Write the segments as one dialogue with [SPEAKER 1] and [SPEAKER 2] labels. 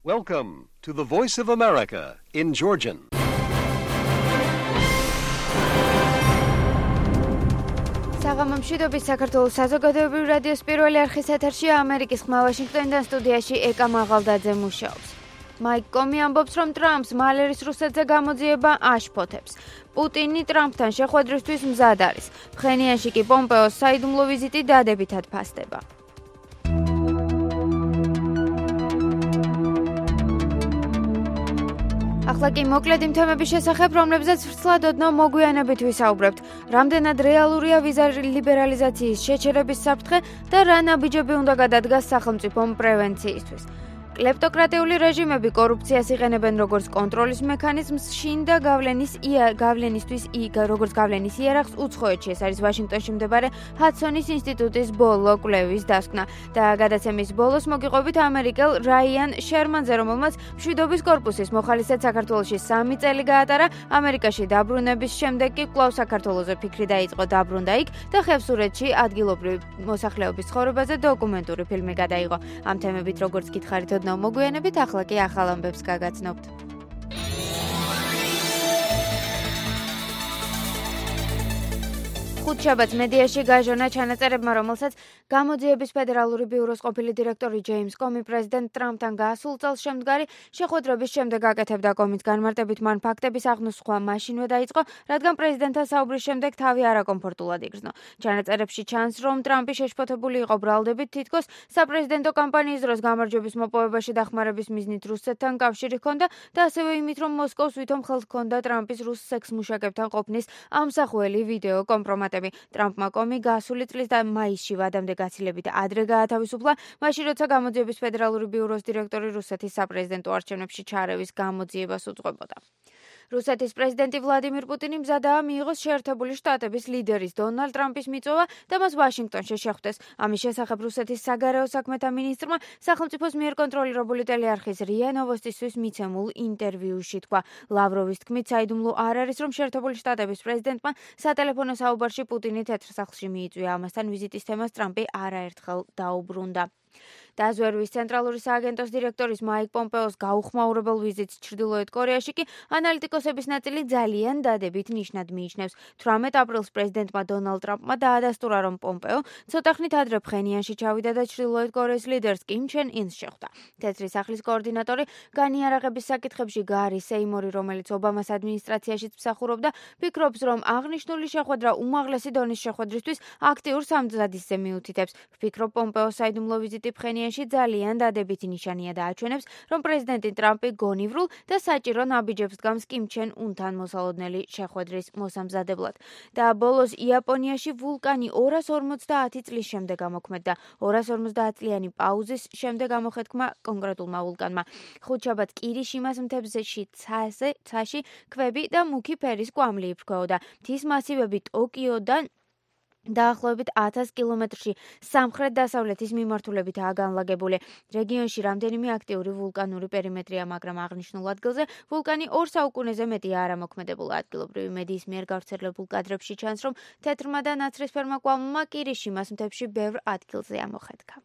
[SPEAKER 1] Welcome to the Voice of America in Georgian.
[SPEAKER 2] საღამომშვიდობის საქართველოს საზოგადოებრივი რადიოს პირველი არხის ეთერშია ამერიკის ხმა ვაშინგტონიდან სტუდიაში ეკა მაღალდაძე მუშაობს. მაიკ კომი ამბობს, რომ ტრამპს მალერის რუსეთზე გამოძიება აშფოთებს. პუტინი ტრამპთან შეხვედრისთვის მზად არის. ფხენიანში კი პომპეოს საიდუმლო ვიზიტი დადებითად ფასდება. ახლა კი მოკლედ იმ თემების შესახებ, რომლებზეც ვრცლად ოდნავ მოგვიანებით ვისაუბრებთ. რამდენად რეალურია ვიზა ლიბერალიზაციის შეჩერების საფრთხე და რა ნაბიჯები უნდა გადადგას სახელმწიფომ პრევენციისთვის. კლეპტოკრატიული რეჟიმები კორუფციას იყენებენ როგორც კონტროლის მექანიზმს შინ და გავლენის იარაღს უცხოეთში. ეს არის ვაშინგტონში მდებარე ჰადსონის ინსტიტუტის ბოლო კვლევის დასკვნა. და გადაცემის ბოლოს მოგიყვებით ამერიკელ რაიან შერმანზე, რომელმაც მშვიდობის კორპუსის მოხალისედ საქართველოში 3 წელი გაატარა. ამერიკაში დაბრუნების შემდეგ კი კვლავ საქართველოზე ფიქრი დაიწყო, დაბრუნდა იქ და ხევსურეთში ადგილობრივი მოსახლეობის ცხოვრებაზე დოკუმენტური ფილმი გადაიღო. ამ თემებით როგორც გითხარით ოდნავ მოგვიანებით, ახლა კი ახალ ამბებს გაგაცნობთ. ხუთშაბათს მედიაში გაჟონა ჩანაწერებმა, რომელსაც გამოძიების ფედერალური ბიუროს ყოფილი დირექტორი ჯეიმს კომი პრეზიდენტ ტრამპთან გასულ წელს შემდგარი შეხვედრების შემდეგ აკეთებდა. კომის განმარტებით მან ფაქტების აღნოსხვა მაშინვე დაიწყო, რადგან პრეზიდენტთან საუბრის შემდეგ თავი არაკომფორტულად იგრძნო. ჩანაწერებში ჩანს, რომ ტრამპი შეშფოთებული იყო ბრალდებით, თითქოს საპრეზიდენტო კამპანიის დროს გამარჯვების მოპოვებაში დახმარების მიზნით რუსეთთან კავშირი ჰქონდა და ასევე იმით, რომ მოსკოვს ვითომ ხელთ ჰქონდა ტრამპის რუს სექს-მუშაკებთან ყოფნის ამსახველი ვიდეო კომპრომატები. ტრამპმა კომი გასული წლის მაისში ვადამდე გაცილებით ადრე გაათავისუფლა, მაშინ როცა გამოძიების ფედერალური ბიუროს დირექტორი რუსეთის საპრეზიდენტო არჩევნებში ჩარევის გამოძიებას უძღვებოდა. რუსეთის პრეზიდენტი ვლადიმირ პუტინი მზადაა მიიღოს შეერთებული შტატების ლიდერის დონალდ ტრამპის მიწოვა და მას ვაშინგტონში შეხვდეს. ამის შესახებ რუსეთის საგარეო საქმეთა მინისტრმა სახელმწიფოს მიერ კონტროლირებული ტელეარხის რია ნოვოსტისთვის მიცემულ ინტერვიუში თქვა. ლავროვის თქმით, საიდუმლო არ არის, რომ შეერთებული შტატების პრეზიდენტმა სატელეფონო საუბარში პუტინი თეთრ სახლში მიიწვია. ამასთან ვიზიტის თემას ტრამპი არაერთხელ დაუბრუნდა. დაზვერვის ცენტრალური სააგენტოს დირექტორის მაიკ პომპეოს გაუხმაურებელ ვიზიტს ჩრდილოეთ კორეაში კი ანალიტიკოსების ნაწილი ძალიან დადებით ნიშნად მიიჩნევს. 18 აპრილს პრეზიდენტმა დონალდ ტრამპმა დაადასტურა, რომ პომპეო ცოტა ხნით ადრე ფხენიანში ჩავიდა და ჩრდილოეთ კორეის ლიდერს კიმ ჩენ ინს შეხვდა. თეთრი სახლის კოორდინატორი განიარაღების საკითხებში გარი სეიმორი, რომელიც ობამას ადმინისტრაციაშიც მსახურობდა, ფიქრობს, რომ აღნიშნული შეხვედრა უმაღლესი დონის შეხვედრისთვის აქტიურ სამზადისზე მიუთითებს. ვფიქრობ, პომპეოს საიდუმლო ვიზიტი ფხენიანში ძალიან დადებითი ნიშანია და აჩვენებს, რომ პრეზიდენტი ტრამპი გონივრულ და საჭირო ნაბიჯებს დგამს კიმ ჩენ უნთან მოსალოდნელი შეხვედრის მოსამზადებლად. და ბოლოს იაპონიაში ვულკანი 250 წლის შემდეგ ამოქმედდა. 250 წლიანი პაუზის შემდეგ ამოხეთქმა კონკრეტულმა ვულკანმა. ხუთშაბათს კირიშიმას მთებში ცაში ქვები და მუქი ფერის კვამლი იფრქვეოდა. მთის მასივები ტოკიოდან დაახლოებით 1000 კილომეტრში სამხრეთ-დასავლეთის მიმართულებითაა განლაგებული. რეგიონში რამდენიმე აქტიური ვულკანური პერიმეტრია, მაგრამ აღნიშნულ ადგილზე ვულკანი 2 საუკუნეზე მეტია არ ამოქმედებულა. ადგილობრივი მედიის მიერ გავრცელებულ კადრებში ჩანს, რომ თეთრმა და ნაცრისფერმა კვამლმა კირიშიმას მთებში ბევრ ადგილზე ამოხეთქა.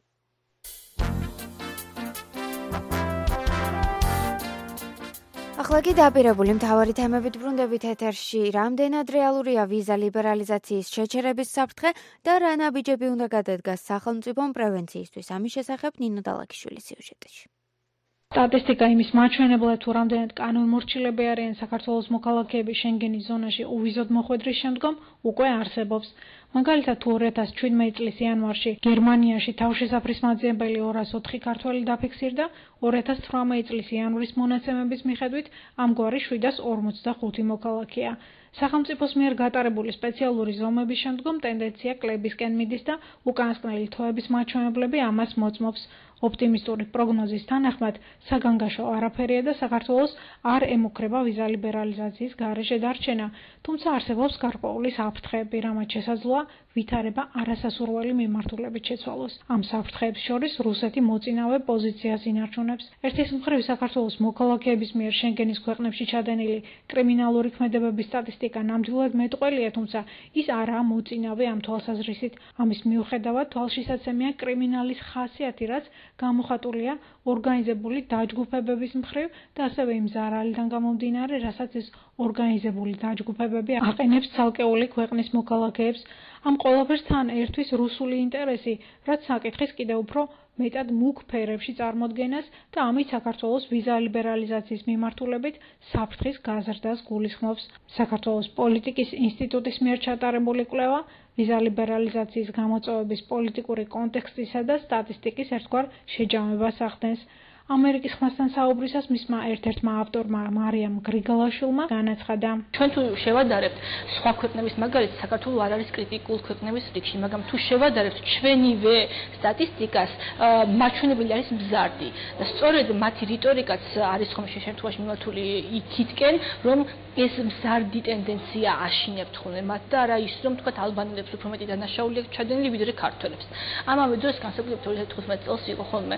[SPEAKER 2] ახლა კი დაპირებული მთავარი თემებით ბრუნდებით ეთერში. რამდენად რეალურია ვიზა ლიბერალიზაციის შეჩერების საფრთხე და რა ნაბიჯები უნდა გადადგას სახელმწიფომ პრევენციისთვის. ამის შესახებ ნინო დალაქიშვილის სიუჟეტში.
[SPEAKER 3] სტატისტიკა იმის მაჩვენებლად, თუ რამდენად კანონმორჩილები არიან საქართველოს მოქალაქეები შენგენის ზონაში უვიზოდ მოხვედრის შემდგომ, უკვე არსებობს. მაგალითად, თუ 2017 წლის იანვარში გერმანიაში თავშესაფრის მაძიებელი 204 ქართველი დაფიქსირდა, 2018 წლის იანვრის მონაცემების მიხედვით ამგვარი 745 მოქალაქეა. სახელმწიფოს მიერ გატარებული სპეციალური ზომების შემდგომ ტენდენცია კლებისკენ მიდის და უკანასკნელი თვეების მაჩვენებლები ამას მოწმობს. ოპტიმისტური პროგნოზის თანახმად, საგანგაშო არაფერია და საქართველოს არ ემუქრება ვიზა ლიბერალიზაციის გარეშე დარჩენა, თუმცა არსებობს გარკვეული საფრთხეები, რამაც შესაძლოა ვითარება არასასურველი მიმართულებით შეცვალოს. ამ საფრთხეებს შორის რუსეთი მოწინავე პოზიციას ინარჩუნებს. ერთის მხრივ საქართველოს მოქალაქეების მიერ შენგენის ქვეყნებში ჩადენილი კრიმინალური ქმედებების სტატისტიკა ნამდვილად მეტყველია, თუმცა ის არაა მოწინავე ამ თვალსაზრისით. ამის მიუხედავად თვალშისაცემია კრიმინალის ხასიათი, რაც გამოხატულია ორგანიზებული დაჯგუფებების მხრივ და ასევე იმ ზარალიდან გამომდინარე, რასაც ეს ორგანიზებული დაჯგუფებები აყენებს ცალკეული ქვეყნის მოქალაქეებს. ამ ყველაფერს თან ერთვის რუსული ინტერესი, რაც საკითხის კიდევ უფრო მეტად მუქ ფერებში წარმოდგენას და ამით საქართველოს ვიზა ლიბერალიზაციის მიმართულებით საფრთხის გაზრდას გულისხმობს. საქართველოს პოლიტიკის ინსტიტუტის მიერ ჩატარებული კვლევა ვიზა ლიბერალიზაციის გამოწვევების პოლიტიკური კონტექსტისა და სტატისტიკის ერთგვარ შეჯამებას ახდენს. ამერიკის ხმასთან საუბრისას მისმა ერთ-ერთმა ავტორმა მარიამ გრიგალაშვილმა განაცხადა:
[SPEAKER 4] ჩვენ თუ შევადარებთ სხვა ქვეყნების მაგალითად, საქართველო არ არის კრიტიკულ ქვეყნების რიგში, მაგრამ თუ შევადარებთ ჩვენივე სტატისტიკას, მაჩვენებელი არის მზარდი. და სწორედ მათი რიტორიკაც არის ხომ შემთხვევაში მიმართული იქითკენ, რომ ეს მზარდი ტენდენცია აშინებთ ხოლმე მათ და არა ის, რომ თქვათ ალბანელებს უფრო მეტი დანაშაული აქვს ჩადენილი ვიდრე ქართველებს. ამავე დროს განსაკუთრებით 2015 წელს იყო ხოლმე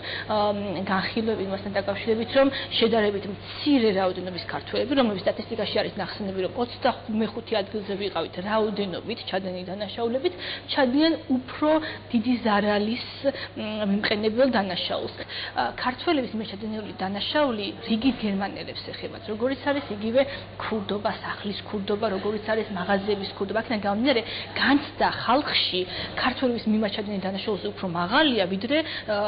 [SPEAKER 4] განხილვა იმასთან დაკავშირებით, რომ შედარებით მცირე რაოდენობის ქართველები, რომლებიც სტატისტიკაში არის ნახსენები, რომ 25 ადგილზე ვიყავით რაოდენობით ჩადენილი დანაშაულებით, ჩადიან უფრო დიდი ზარალის მიმყენებელ დანაშაულს. ქართველების მიერ ჩადენილი დანაშაული რიგით გერმანელებს ეხებათ, როგორიც არის იგივე ქურდობა, სახლის ქურდობა, როგორიც არის მაღაზიების ქურდობა. აქედან გამომდინარე, განცდა ხალხში ქართველების მიმართ ჩადენილი დანაშაულზე უფრო მაღალია, ვიდრე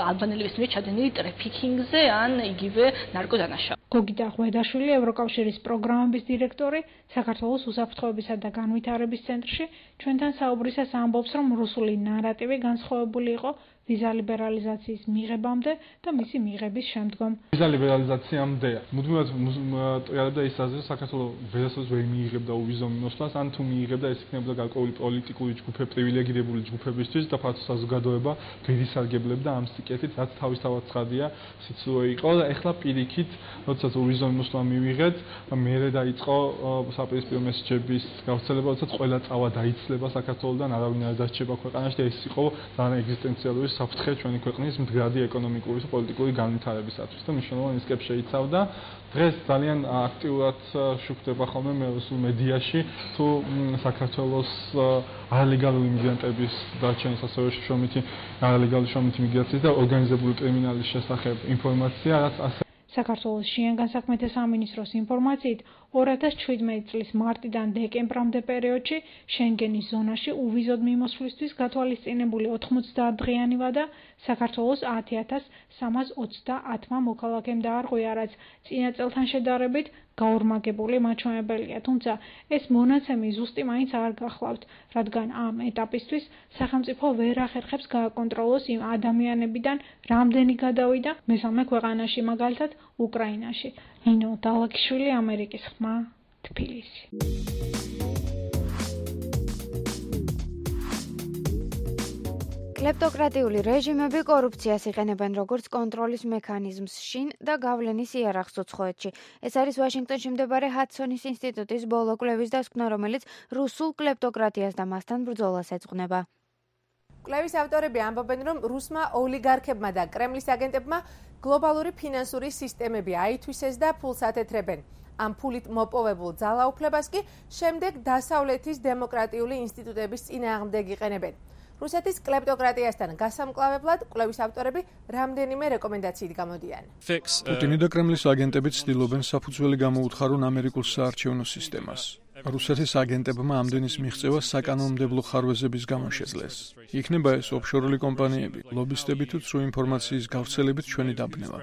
[SPEAKER 4] ალბანელების მიერ ჩადენილი ტრაფიკინგზე ან იგივე ნარკოდანაშაული.
[SPEAKER 3] გოგიტა ღვედაშვილი, ევროკავშირის პროგრამების დირექტორი, საქართველოს უსაფრთხოებისა და განვითარების ცენტრში ჩვენთან საუბრისას ამბობს, რომ რუსული ნარატივი განსხვავებული იყო ვიზა ლიბერალიზაციის მიღებამდე და მისი მიღების შემდგომ.
[SPEAKER 5] ვიზა ლიბერალიზაციამდე მუდმივად ტრიალებდა ის აზრი, საქართველოს ვერასოდეს ვერ მიიღებდა უვიზო მიმოსვლას, ან თუ მიიღებდა, ეს იქნებოდა გარკვეული პოლიტიკური ჯგუფები, პრივილეგირებული ჯგუფებისთვის და ფართო საზოგადოება ვერ ისარგებლებდა ამ სიკეთით, რაც თავისთავად ცხადია, სიცრუე იყო და ეხლა პირიქით, როდესაც უვიზო მიმოსვლა მივიღეთ, მერე დაიწყო საპირისპირო მესეჯების გავრცელება, როდესაც ყველა წავა დაიცლება საქართველოსთან, არავინ არ დასჭება ქვეყანაში და ეს იყო ძალიან ეგზისტენციალური საფრთხე ჩვენი ქვეყნის მდგრადი ეკონომიკური და პოლიტიკური განვითარებისათვის და მნიშვნელოვან რისკებს შეიცავდა. დღეს ძალიან აქტიურად შუქდება ხოლმე რუსულ მედიაში თუ საქართველოს არალეგალური მიგრანტების დარჩენის, ასევე შრომითი არალეგალური შრომითი მიგრაციის და ორგანიზებული კრიმინალის შესახებ ინფორმაცია, რაც ასე
[SPEAKER 3] საქართველოს შინაგან საქმეთა სამინისტროს ინფორმაციით 2017 წლის მარტიდან დეკემბრამდე პერიოდში შენგენის ზონაში უვიზოდ მიმოსვლისთვის გათვალისწინებული 90 დღიანი ვადა საქართველოს 10,330 მოქალაქემ დაარღვია, რაც წინა წელთან შედარებით გაორმაგებული მაჩვენებელია, თუმცა ეს მონაცემი ზუსტი მაინც არ გახლავთ, რადგან ამ ეტაპისთვის სახელმწიფო ვერ ახერხებს გააკონტროლოს იმ ადამიანებიდან რამდენი გადავიდა მესამე ქვეყანაში, მაგალითად უკრაინაში. ნინო დალაკიშვილი, ამერიკის ხმა, თბილისი.
[SPEAKER 2] კლეპტოკრატიული რეჟიმები კორუფციას იყენებენ როგორც კონტროლის მექანიზმს შინ და გავლენის იარაღს უცხოეთში. ეს არის ვაშინგტონში მდებარე ჰადსონის ინსტიტუტის ბოლო კვლევის დასკვნა, რომელიც რუსულ კლეპტოკრატიას და მასთან ბრძოლას ეძღვნება.
[SPEAKER 6] კვლევის ავტორები ამბობენ, რომ რუსმა ოლიგარქებმა და კრემლის აგენტებმა გლობალური ფინანსური სისტემები აითვისეს და ფულს ათეთრებენ. ამ ფულით მოპოვებულ ძალაუფლებას კი შემდეგ დასავლეთის დემოკრატიული ინსტიტუტების წინააღმდეგ იყენებენ. რუსეთის კლეპტოკრატიასთან გასამკლავებლად კვლევის ავტორები რამდენიმე რეკომენდაციით გამოდიან.
[SPEAKER 7] პუტინი და კრემლის აგენტები ცდილობენ საფუძველი გამოუთხარონ ამერიკულ საარჩევნო სისტემას. რუსეთის აგენტებმა ამდენის მიღწევა საკანონმდებლო ხარვეზების გამო შეძლეს. იქნება ეს ოფშორული კომპანიები, ლობისტები თუ ცრუ ინფორმაციის გავრცელებით ჩვენი დაბნევა.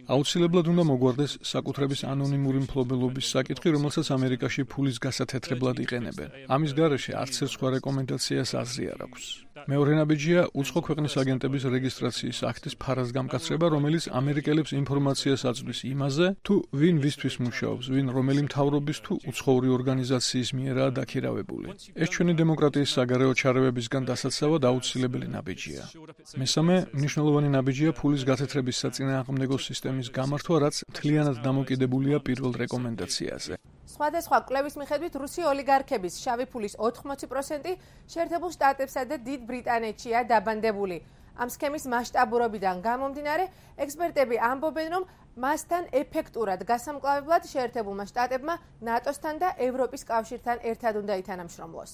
[SPEAKER 7] აუცილებლად უნდა მოგვარდეს საკუთრების ანონიმური მფლობელობის საკითხი, რომელსაც ამერიკაში ფულის გასათეთრებლად იყენებენ. ამის გარეშე არც ერთ სხვა რეკომენდაციას აზრი არ აქვს. მეორე ნაბიჯია უცხო ქვეყნის აგენტების რეგისტრაციის აქტის ფარაზგამკაცრება, რომელიც ამერიკელებს ინფორმაციას აწვდის იმაზე, თუ ვინ ვისთვის მუშაობს, ვინ რომელი მთავრობის თუ უცხოური ორგანიზაციის მიერაა დაქირავებული. ეს ჩვენი დემოკრატიის საგარეო ჩარევებისგან დასაცავად აუცილებელი ნაბიჯია. მესამე მნიშვნელოვანი ნაბიჯია ფულის გათეთრების საწინააღმდეგო სისტემის გამართვა, რაც მთლიანად დამოკიდებულია პირველ რეკომენდაციაზე.
[SPEAKER 6] სხვადასხვა კვლევის მიხედვით რუსი ოლიგარქების შავი ფულის 80% შეერთებულ შტატებსა და დიდ ბრიტანეთშია დაბანდებული. ამ სქემის მასშტაბურობიდან გამომდინარე, ექსპერტები ამბობენ, რომ მასთან ეფექტურად გასამკლავებლად შეერთებულმა შტატებმა ნატოსთან და ევროპის კავშირთან ერთად უნდა ითანამშრომლოს.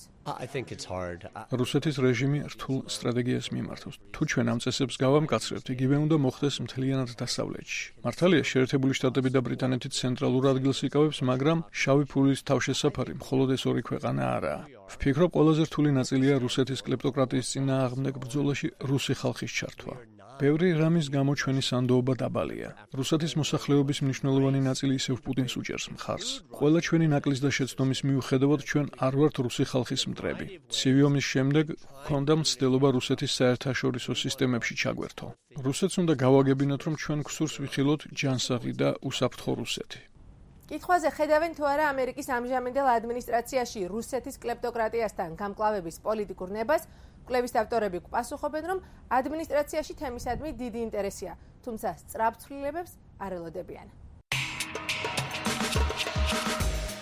[SPEAKER 7] რუსეთის რეჟიმი რთულ სტრატეგიას მიმართავს. თუ ჩვენ ამ წესებს გავამკაცრებთ, იგივე უნდა მოხდეს მთლიანად დასავლეთში. მართალია, შეერთებული შტატები და ბრიტანეთი ცენტრალურ ადგილს იკავებს, მაგრამ შავი ფულის თავშესაფარი მხოლოდ ეს ორი ქვეყანა არაა. ვფიქრობ, ყველაზე რთული ნაწილია რუსეთის კლეპტოკრატიის წინააღმდეგ ბრძოლაში რუსი ხალხის ჩართვა. ბევრი რამის გამო ჩვენი სანდოობა დაბალია. რუსეთის მოსახლეობის მნიშვნელოვანი ნაწილი ისევ პუტინს უჭერს მხარს. ყველა ჩვენი ნაკლის და შეცდომის მიუხედავად ჩვენ არ ვართ რუსი ხალხის მტრები. ცივი ომის შემდეგ ჰქონდა მცდელობა რუსეთის საერთაშორისო სისტემებში ჩაგვერთო. რუსეთს უნდა გავაგებინოთ, რომ ჩვენ გსურს ვიხილოთ ჯანსაღი და უსაფრთხო რუსეთი.
[SPEAKER 6] კითხვაზე ხედავენ თუ არა ამერიკის ამჟამინდელ ადმინისტრაციაში რუსეთის კლეპტოკრატიასთან გამკლავების პოლიტიკურ ნებას, კვლევის ავტორები გვპასუხობენ, რომ ადმინისტრაციაში თემისადმი დიდი ინტერესია, თუმცა სწრაფ ცვლილებებს არ ელოდებიან.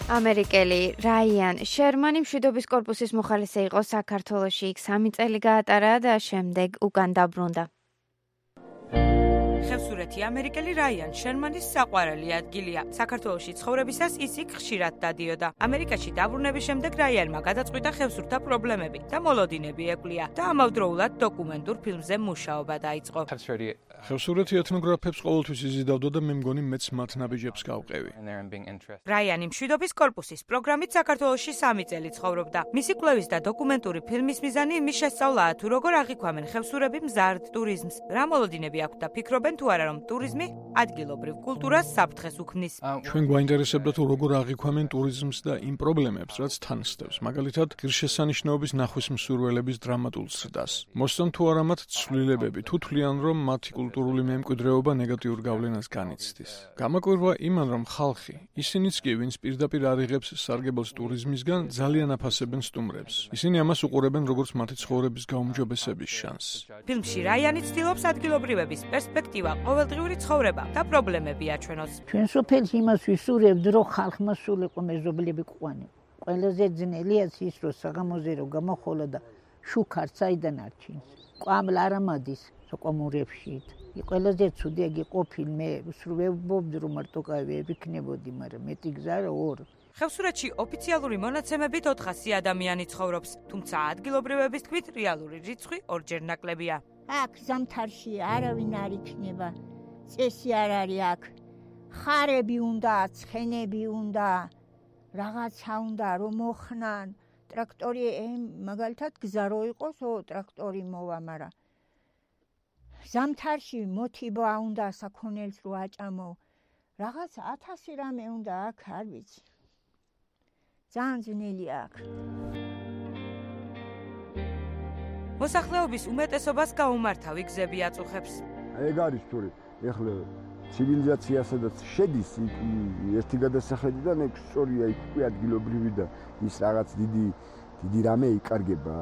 [SPEAKER 2] ამერიკელი რაიან შერმანი მშვიდობის კორპუსის მოხალისე იყო საქართველოში, იქ 3 წელი გაატარა და შემდეგ უკან დაბრუნდა.
[SPEAKER 8] ხევსურეთი ამერიკელი რაიან შერმანის საყვარელი ადგილია. საქართველოში ცხოვრებისას ის იქ ხშირად დადიოდა. ამერიკაში დაბრუნების შემდეგ რაიანმა გადაწყვიტა ხევსურთა პრობლემები და მოლოდინები ეკვლია და ამავდროულად დოკუმენტურ ფილმზე მუშაობა დაიწყო.
[SPEAKER 7] ხევსურეთი ეთნოგრაფებს ყოველთვის იზიდავდა და მე მგონი მეც მათ ნაბიჯებს გავყევი.
[SPEAKER 8] რაიანი მშვიდობის კორპუსის პროგრამით საქართველოში 3 წელი ცხოვრობდა. მისი კვლევის და დოკუმენტური ფილმის მიზანი იმის შესწავლაა, თუ როგორ აღიქვამენ ხევსურები მზარდ ტურიზმს, რა მოლოდინები აქვთ და ფიქრობენ თუ არა რომ ტურიზმი ადგილობრივ კულტურას საფრთხეს უქმნის.
[SPEAKER 7] ჩვენ გვაინტერესებდა თუ როგორ აღიქვამენ ტურიზმს და იმ პრობლემებს, რაც თან სდევს, მაგალითად, ღირსშესანიშნაობის ნახვის მსურველების დრამატულ ზრდას. მოსწონთ თუ არა მათ ცვლილებები, თუ თვლიან რომ მათი კულტურული მემკვიდრეობა ნეგატიურ გავლენას განიცდის. გამაკვირვა იმან, რომ ხალხი, ისინიც კი, ვინც პირდაპირ არ იღებს სარგებელს ტურიზმისგან, ძალიან აფასებენ სტუმრებს. ისინი ამას უყურებენ როგორც მათი ცხოვრების გაუმჯობესების შანსს.
[SPEAKER 8] ფილმში რაიანი ცდილობს ადგილობრივების პერსპექტივა, ყოველდღიური ცხოვრება და პრობლემები აჩვენოს.
[SPEAKER 9] ჩვენ სოფელში იმას ვისურვებთ, რომ ხალხმა სულიყო მეზობლები ყვანა. ყველაზე ძნელია ის, რომ საღამოზე რომ გამოხოლა და შუქარც აიდან არჩინს. ყვამლა არ ამადის სოკომურებში. ყველაზე ცუდი ეგ იყო ფილმი, ვსურვებობდი რომ მარტო ვიქნებოდი, მაგრამ მეტი გზა რა ორ.
[SPEAKER 8] ხევსურეთში ოფიციალური მონაცემებით 400 ადამიანი ცხოვრობს, თუმცა ადგილობრივების თქმით რეალური რიცხვი ორჯერ ნაკლებია.
[SPEAKER 9] აქ ზამთარში არავინ არ იქნება. წესი არ არის აქ. ხარები უნდა, ცხენები უნდა, რაღაცა უნდა რომ მოხნან. ტრაქტორი მაგალითად გზა რო იყოს, ტრაქტორი მოვა, მაგრამ ზამთარში მოთიბა უნდა საქონელს რო აჭამო. რაღაც 1000 რამე უნდა აქ, არ ვიცი. ძალიან ძნელია აქ.
[SPEAKER 8] მოსახლეობის უმეტესობას გაუმართავი გზები აწუხებს.
[SPEAKER 10] ეგ არის თორე ეხლა ცივილიზაციასაც შედის ერთი გადასახედიდან ეგ სწორია იქ უკვე ადგილობრივი და ის რაღაც დიდი რამე იკარგება.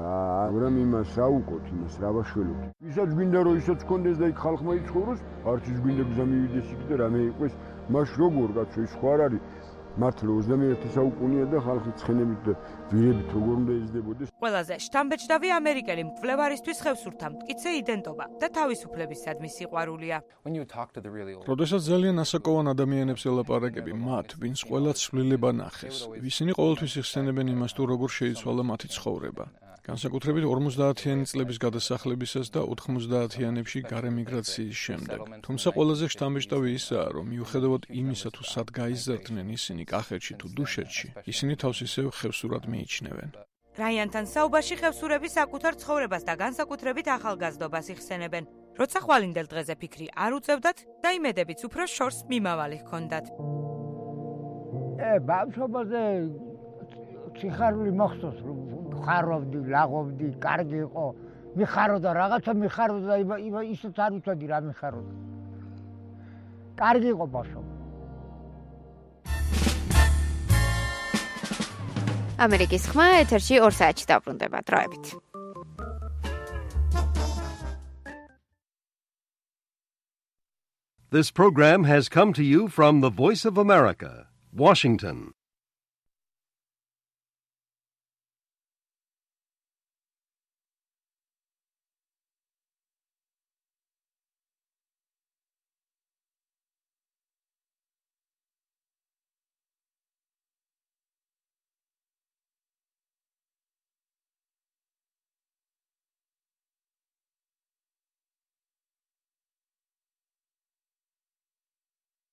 [SPEAKER 10] მაგრამ იმას რა უყოთ, იმას რა ვაშველოთ. ვისაც გვინდა რომ ისაც კონდეს და იქ ხალხმა იცხოვროს, არც ის გვინდა გზა მივიდეს იქ და რამე იყოს, მას როგორ კაცო ის ხო არ არის. მართლა 21 საუკუნეა და ხალხი ცხენებით და ვირებით როგორ უნდა ეზრდებოდეს.
[SPEAKER 8] ყველაზე შთამბეჭდავი ამერიკელი მკვლევარისთვის ხევსურთა მტკიცე იდენტობა და თავისუფლებისადმი სიყვარულია.
[SPEAKER 7] როდესაც ძალიან ასაკოვან ადამიანებს ელაპარაკები, მათ, ვინც ყველა ცვლილება ნახეს, ისინი ყოველთვის იხსენებენ იმას, თუ როგორ შეიცვალა მათი ცხოვრება. განსაკუთრებით 50-იანი წლების გადასახლებისას და 90-იანებში გარემიგრაციის შემდეგ. თუმცა ყველაზე შთამბეჭდავი ისაა, რომ მიუხედავად იმისა, თუ სად გაიზარდნენ ისინი კახეთში თუ დუშეთში, ისინი თავს ისევ ხევსურად მიიჩნევენ.
[SPEAKER 8] რაიანთან საუბარში ხევსურები საკუთარ ცხოვრებას და განსაკუთრებით ახალგაზრდობას იხსენებენ. როცა ხვალინდელ დღეზე ფიქრი არ უწევდათ და იმედებიც უფრო შორს მიმავალი ჰქონდათ.
[SPEAKER 9] ბავშვობაზე სიხარული მოხსოვს, რომ ხარობდი, ლაღობდი, კარგი იყო. მიხაროდა რაღაცა მიხაროდა და ისიც არ ვიცოდი რა მიხაროდა. კარგი იყო ბავშვობა.
[SPEAKER 2] ამერიკის ხმა ეთერში 2 საათში დაბრუნდება. დროებით.
[SPEAKER 1] This program has come to you from the Voice of America, Washington.